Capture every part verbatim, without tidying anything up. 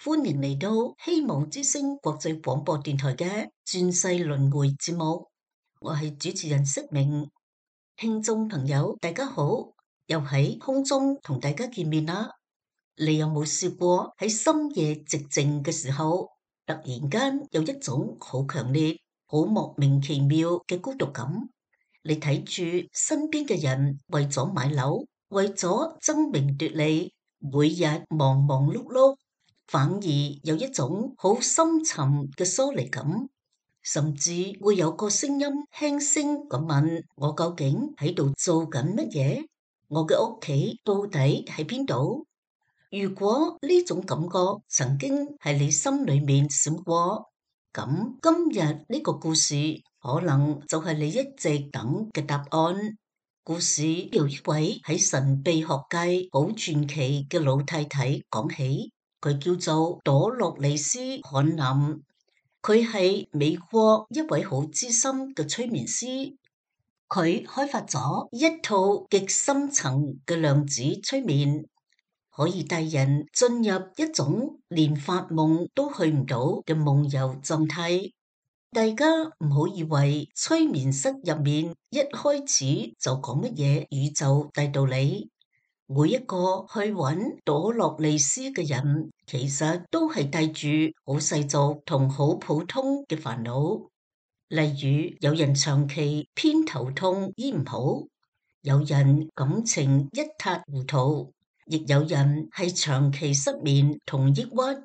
歡迎嚟到希望之聲國際廣播電台嘅轉世輪迴節目，我係主持人釋明。聽眾朋友大家好，又喺空中同大家見面啦。你有冇試過喺深夜寂靜嘅時候，突然間有一種好強烈、好莫名其妙嘅孤獨感？你睇住身邊嘅人為咗買樓，為咗爭名奪利，每日忙忙碌碌，反而有一種好深沉嘅疏離感，甚至會有個聲音輕聲咁問我究竟喺度做緊乜嘢？我嘅屋企到底喺邊度？如果呢種感覺曾經喺你心裏面閃過，咁今日呢個故事可能就係你一直等嘅答案。故事由一位喺神秘學界好傳奇嘅老太太講起。佢叫做朵洛莉絲·罕林，佢係美國一位好資深嘅催眠師，佢開發咗一套極深層嘅量子催眠，可以帶人進入一種連發夢都去唔到嘅夢遊狀態。大家唔好以為催眠室入面一開始就講乜嘢宇宙大道理。每一個去揾朵洛莉絲嘅人，其實都係帶住好世俗同好普通嘅煩惱。例如，有人長期偏頭痛醫唔好，有人感情一塌糊塗，亦有人係長期失眠同抑鬱。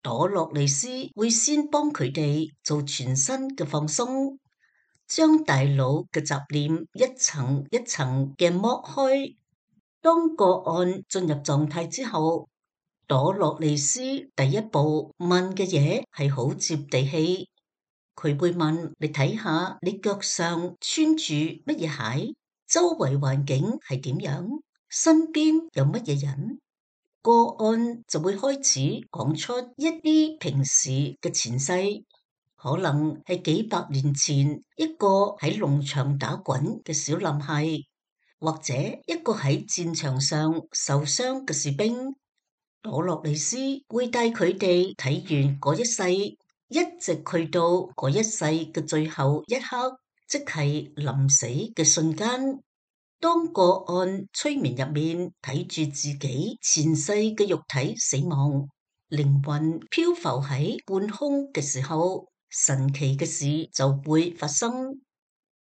朵洛莉絲會先幫佢哋做全身嘅放鬆，將大腦嘅雜念一層一層嘅剝開。當個案進入狀態之後，朵洛莉絲第一步問嘅嘢係好接地氣。佢會問你睇下你腳上穿住乜嘢鞋，周圍環境係點樣，身邊有乜嘢人。個案就會開始講出一啲平時嘅前世，可能係幾百年前一個喺農場打滾嘅小男孩，或者一個喺戰場上受傷嘅士兵。朵洛莉絲會帶佢哋睇完嗰一世，一直去到嗰一世嘅最後一刻，即係臨死嘅瞬間。當個案催眠入面睇住自己前世嘅肉體死亡，靈魂漂浮喺半空嘅時候，神奇嘅事就會發生。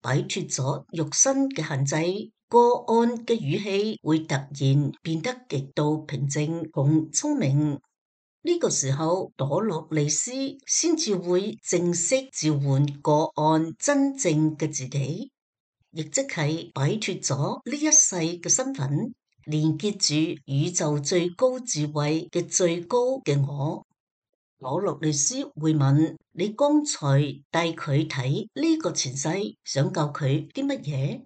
擺脫咗肉身嘅限制，個案嘅語氣會突然變得極度平靜同聰明。呢個時候，朵洛莉絲先至會正式召喚個案真正嘅自己。亦即係擺脫咗呢一世嘅身份，連結住宇宙最高智慧嘅最高嘅我。朵洛莉絲會問你剛才帶佢睇呢個前世，想教佢啲乜嘢？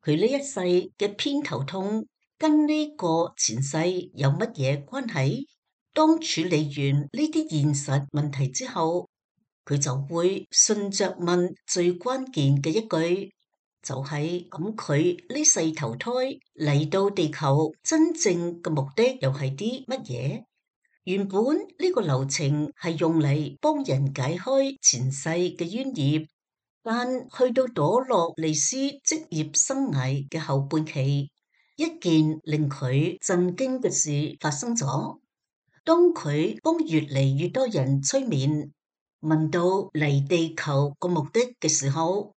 佢呢一世嘅偏頭痛跟呢個前世有乜嘢關係？當處理完呢啲現實問題之後，佢就會順着問最關鍵嘅一句。就係咁，佢呢世投胎嚟到地球，真正嘅目的又係啲乜嘢？原本呢個流程係用嚟幫人解開前世嘅冤孽，但去到朵洛莉絲職業生涯嘅後半期，一件令佢震驚嘅事發生咗。當佢幫越嚟越多人催眠，問到嚟地球個目的嘅時候，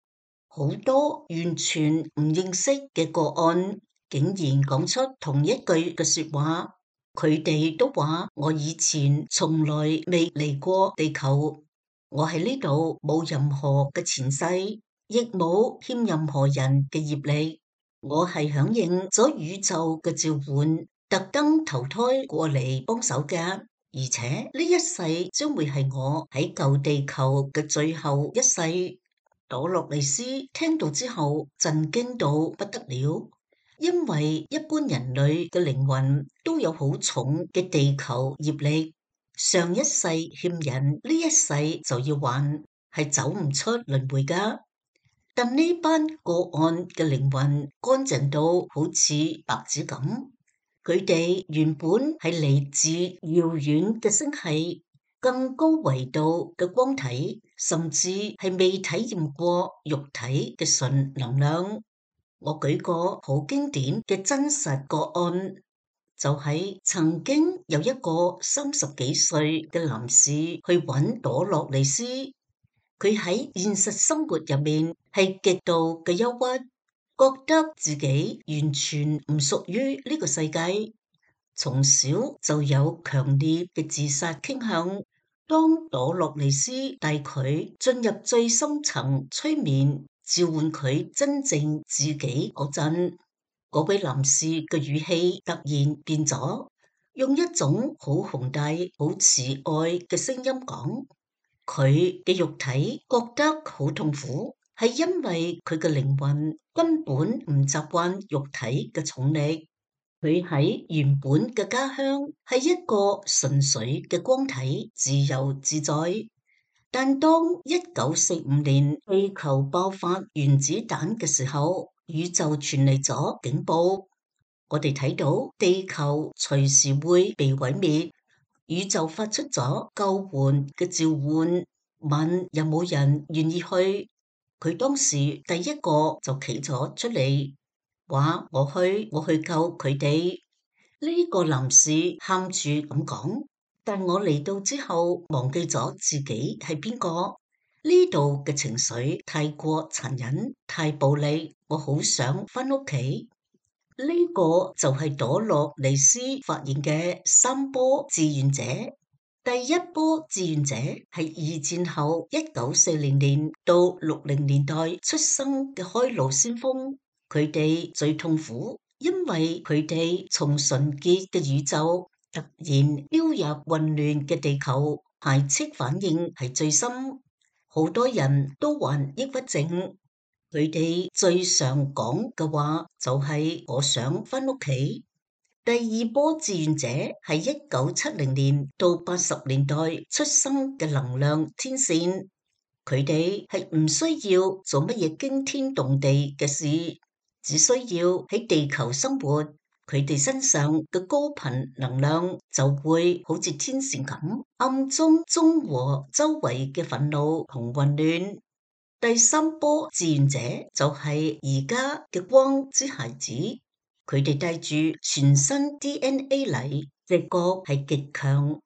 好多完全唔認識嘅個案，竟然講出同一句嘅說話。佢哋都話：我以前從來未嚟過地球，我喺呢度冇任何嘅前世，亦冇欠任何人嘅業力。我係響應咗宇宙嘅召喚，特登投胎過嚟幫手嘅。而且呢一世將會係我喺舊地球嘅最後一世。朵洛莉絲聽到之後震驚到不得了，因為一般人類嘅靈魂都有好重嘅地球業力，上一世欠人，呢一世就要還，係走唔出輪迴噶。但呢班個案嘅靈魂乾淨到好似白紙咁，佢哋原本係嚟自遙遠嘅星系、更高維度嘅光體，甚至係未體驗過肉體嘅純能量。我舉個好經典嘅真實個案，就係曾經有一個三十幾歲嘅男士去揾朵洛莉絲，佢喺現實生活入面係極度嘅憂鬱，覺得自己完全唔屬於呢個世界，從小就有強烈嘅自殺傾向。當朵洛莉絲帶佢進入最深層催眠，召喚佢真正自己嗰陣，嗰位男士嘅語氣突然變咗，用一種好宏大、好慈愛嘅聲音講，佢嘅肉體覺得好痛苦，係因為佢嘅靈魂根本唔習慣肉體嘅重力。佢喺原本嘅家鄉係一個純粹嘅光體，自由自在。但當一九四五年地球爆發原子彈嘅時候，宇宙傳嚟咗警報，我哋睇到地球隨時會被毀滅，宇宙發出咗救援嘅召喚，問有冇人願意去。佢當時第一個就企咗出嚟，話我去，我去救佢哋。呢個男士喊住咁講，但我嚟到之後忘記咗自己係邊個。呢度嘅情緒太過殘忍，太暴力，我好想返屋企。呢個就係朵洛莉絲發現嘅三波志願者。第一波志願者係二戰後一九四零年到六零年代出生嘅開路先鋒，佢哋最痛苦，因為佢哋從純潔嘅宇宙突然飆入混亂嘅地球，排斥反應係最深，好多人都患抑鬱症。佢哋最常講嘅話就係我想返屋企。第二波志願者係一九七零年到八十年代出生嘅能量天線，佢哋係唔需要做乜嘢驚天動地嘅事，只需要喺地球生活，佢哋身上嘅高頻能量就會好似天線咁，暗中中和周圍嘅憤怒同混亂。第三波志願者就係而家嘅光之孩子，佢哋帶住全新 D N A 嚟，直覺係極強。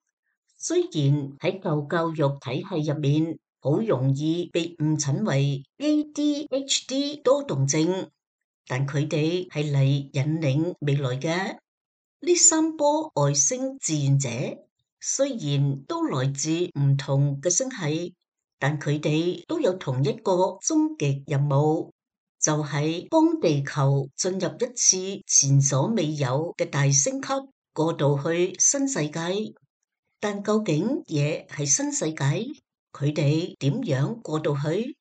雖然喺舊教育體系入面，好容易被誤診為 A D H D 多動症，但佢哋係嚟引領未來嘅。呢三波外星志願者雖然都來自唔同嘅星系，但佢哋都有同一個終極任務，就係幫地球進入一次前所未有嘅大升級，過渡去新世界。但究竟嘢係新世界，佢哋點樣過渡去？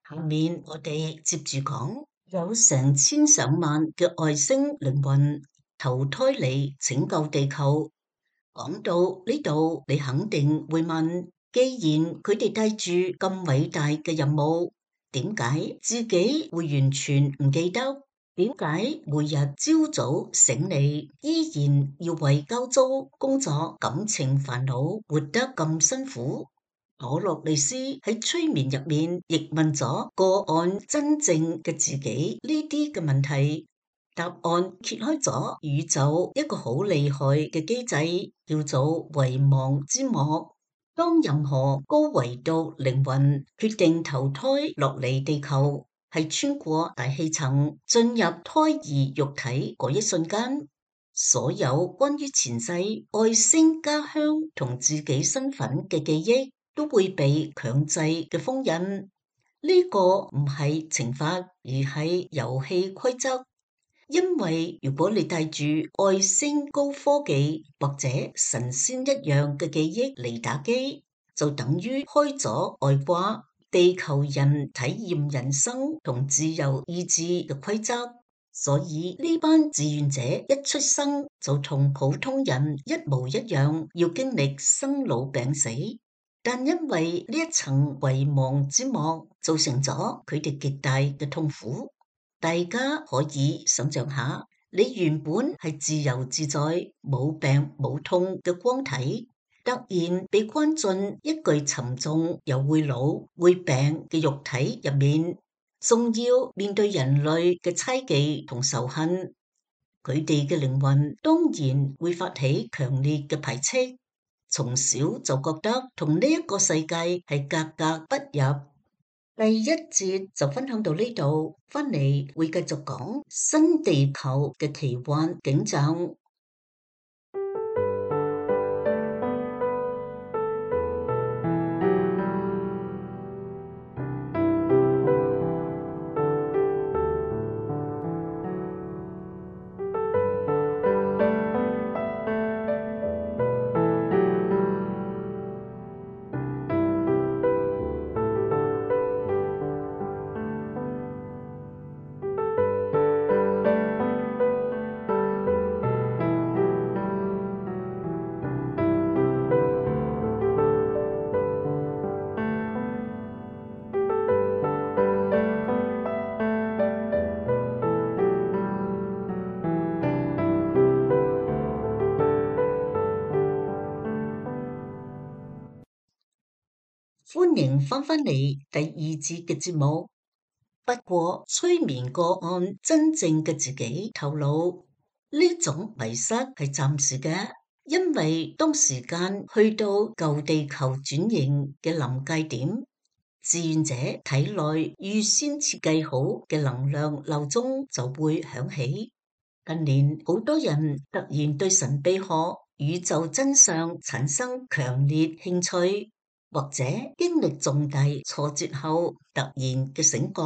下面我哋接住講，有成千上萬嘅外星靈魂投胎嚟拯救地球。講到呢度，你肯定會問，既然佢哋帶住咁偉大嘅任務，點解自己會完全唔記得？點解每日朝早醒嚟，依然要為交租、工作、感情煩惱活得咁辛苦？朵洛莉絲喺催眠入面亦問咗個案真正嘅自己呢啲嘅問題。答案揭開咗宇宙一個好厲害嘅機制，叫做遺忘之幕。當任何高維度靈魂決定投胎落嚟地球，係穿過大氣層進入胎兒肉體嗰一瞬間，所有關於前世、外星家鄉同自己身份嘅記憶都會被強制嘅封印。呢個唔係懲罰，而係遊戲規則。因為如果你帶住外星高科技或者神仙一樣嘅記憶嚟打機，就等於開咗外掛，地球人體驗人生同自由意志嘅規則。所以呢班志願者一出生就同普通人一模一樣，要經歷生老病死。但因為呢一層遺忘之幕，造成咗佢哋極大嘅痛苦。大家可以想象下，你原本係自由自在、冇病冇痛嘅光體，突然被關進一具沉重又會老會病嘅肉體入面，仲要面對人類嘅猜忌同仇恨，佢哋嘅靈魂當然會發起強烈嘅排斥，從小就覺得同呢一個世界係格格不入。第一節就分享到呢度，返嚟會繼續講新地球嘅奇幻景象。歡迎翻返嚟第二節嘅節目。不過催眠個案真正嘅自己透露，呢種迷失係暫時嘅，因為當時間去到舊地球轉型嘅臨界點，志願者體內預先設計好嘅能量鬧鐘就會響起。近年好多人突然對神秘學、宇宙真相產生強烈興趣，或者經歷重大挫折後突然嘅醒覺，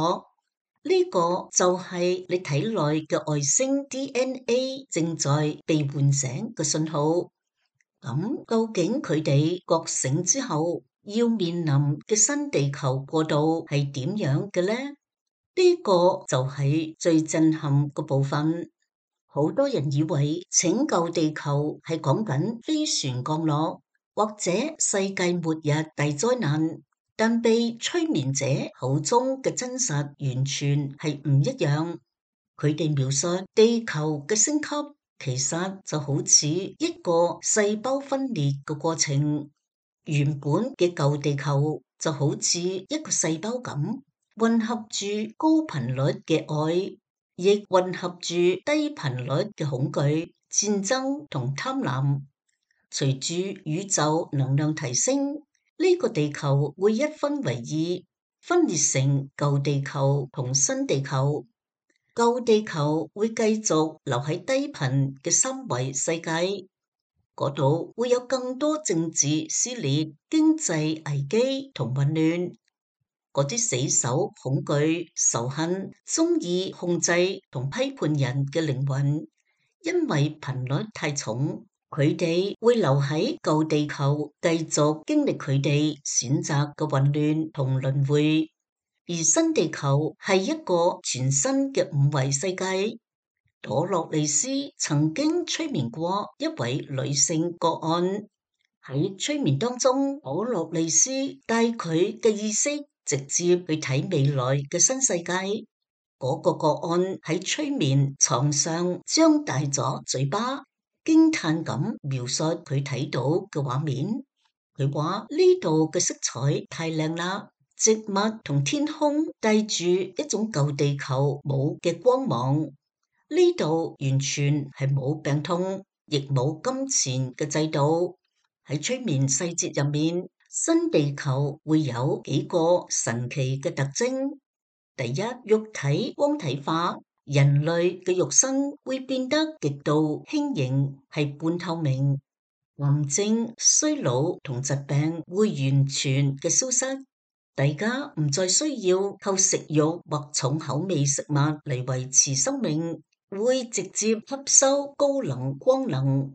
呢個就係你體內嘅外星 D N A 正在被喚醒嘅信號。咁究竟佢哋覺醒之後要面臨嘅新地球過渡係點樣嘅呢？呢個就係最震撼嘅部分。好多人以為拯救地球係講緊飛船降落或者世界末日大災難，但被催眠者口中嘅真實完全係唔一樣。佢哋描述地球嘅升級，其實就好似一個細胞分裂嘅過程。原本嘅舊地球就好似一個細胞咁，混合住高頻率嘅愛，亦混合住低頻率嘅恐懼、戰爭同貪婪。隨住宇宙能量提升，呢個地球會一分為二，分裂成舊地球同新地球。舊地球會繼續留喺低頻嘅三維世界，嗰度會有更多政治撕裂、經濟危機同混亂。嗰啲死守、恐懼、仇恨、中意控制同批判人嘅靈魂，因為頻率太重，佢哋會留喺舊地球，繼續經歷佢哋選擇嘅混亂同輪迴。而新地球係一個全新嘅五維世界。朵洛莉絲曾經催眠過一位女性個案，喺催眠當中，朵洛莉絲帶佢嘅意識直接去睇未來嘅新世界。嗰、那個個案喺催眠床上張大咗嘴巴，驚嘆咁描述佢睇到嘅畫面。佢話呢度嘅色彩太靚啦，植物同天空帶住一種舊地球冇嘅光芒。呢度完全係冇病痛，亦冇金錢嘅制度。喺催眠細節入面，新地球會有幾個神奇嘅特徵。第一，肉體光體化，人類嘅肉身會變得極度輕盈，係半透明。癌症、衰老同疾病會完全嘅消失，大家唔再需要靠食肉或重口味食物嚟維持生命。會直接吸收高能光能。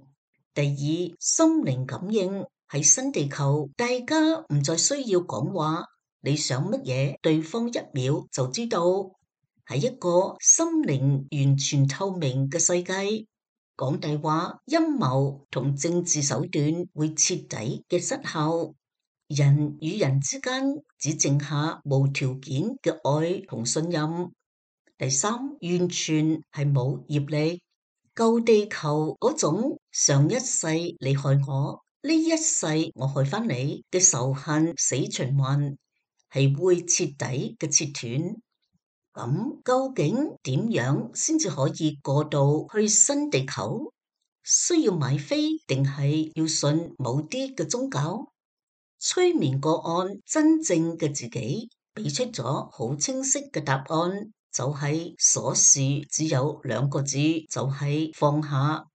第二，心靈感應，喺新地球，大家唔再需要講話，你想乜嘢，對方一秒就知道。係一個心靈完全透明嘅世界，講大話、陰謀同政治手段會徹底嘅失效，人與人之間只剩下無條件嘅愛同信任。第三，完全係冇業力，舊地球嗰種上一世你害我，呢一世我害返你嘅仇恨死循環，係會徹底嘅切斷。咁究竟點樣先至可以過渡去新地球？需要買飛定係要信某啲嘅宗教？催眠個案真正嘅自己俾出咗好清晰嘅答案，就係鎖匙只有兩個字，就係放下。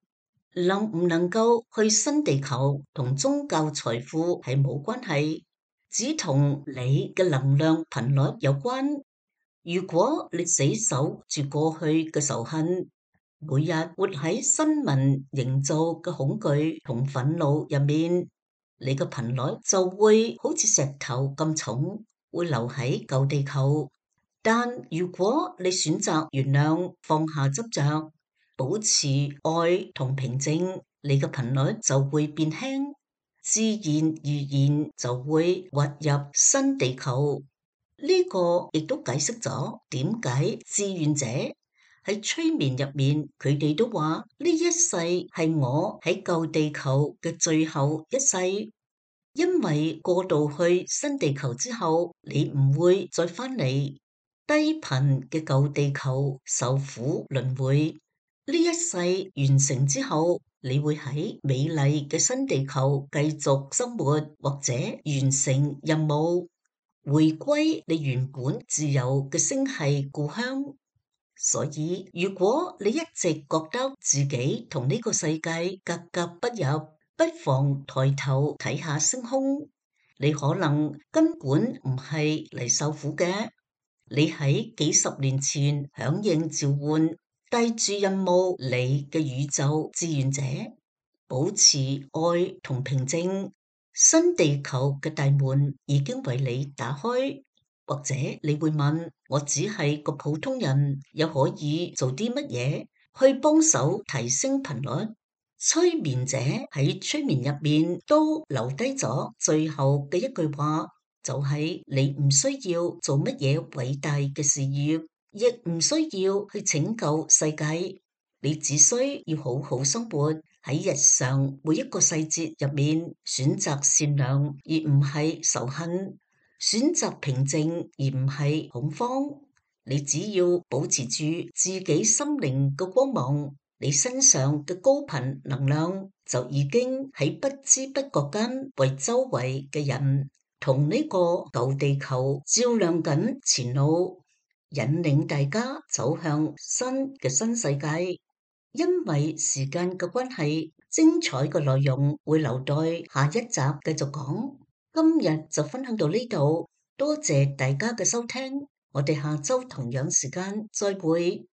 能唔能夠去新地球同宗教財富係冇關係，只同你嘅能量頻率有關。如果你死守住過去嘅仇恨，每日活喺新聞營造嘅恐懼同憤怒入面，你嘅頻率就會好似石頭咁重，會留喺舊地球。但如果你選擇原諒、放下執着，保持愛同平靜，你嘅頻率就會變輕，自然而然就會滑入新地球。呢個亦都解釋咗點解志願者喺催眠入面，佢哋都話呢一世係我喺舊地球嘅最後一世，因為過渡去新地球之後，你唔會再返嚟低頻嘅舊地球受苦輪迴。呢一世完成之後，你會喺美麗嘅新地球繼續生活，或者完成任務，回歸你原本自由嘅星系故鄉。所以如果你一直覺得自己同呢個世界格格不入，不妨抬頭睇下星空，你可能根本唔係嚟受苦嘅，你喺幾十年前響應召喚，帶住任務嚟嘅宇宙志願者，保持愛同平靜。新地球嘅大門已經為你打開，或者你會問，我只係個普通人，又可以做啲乜嘢去幫手提升頻率？催眠者喺催眠入面都留低咗最後嘅一句話，就係你唔需要做乜嘢偉大嘅事業，亦唔需要去拯救世界，你只需要好好生活，喺日常每一個細節入面選擇善良而唔係仇恨，選擇平靜而唔係恐慌。你只要保持住自己心靈嘅光芒，你身上嘅高頻能量就已經喺不知不覺間為周圍嘅人同呢個舊地球照亮緊前路，引領大家走向新嘅新世界。因為時間嘅關係，精彩嘅內容會留待下一集繼續講。今日就分享到呢度，多謝大家嘅收聽，我哋下周同樣時間再會。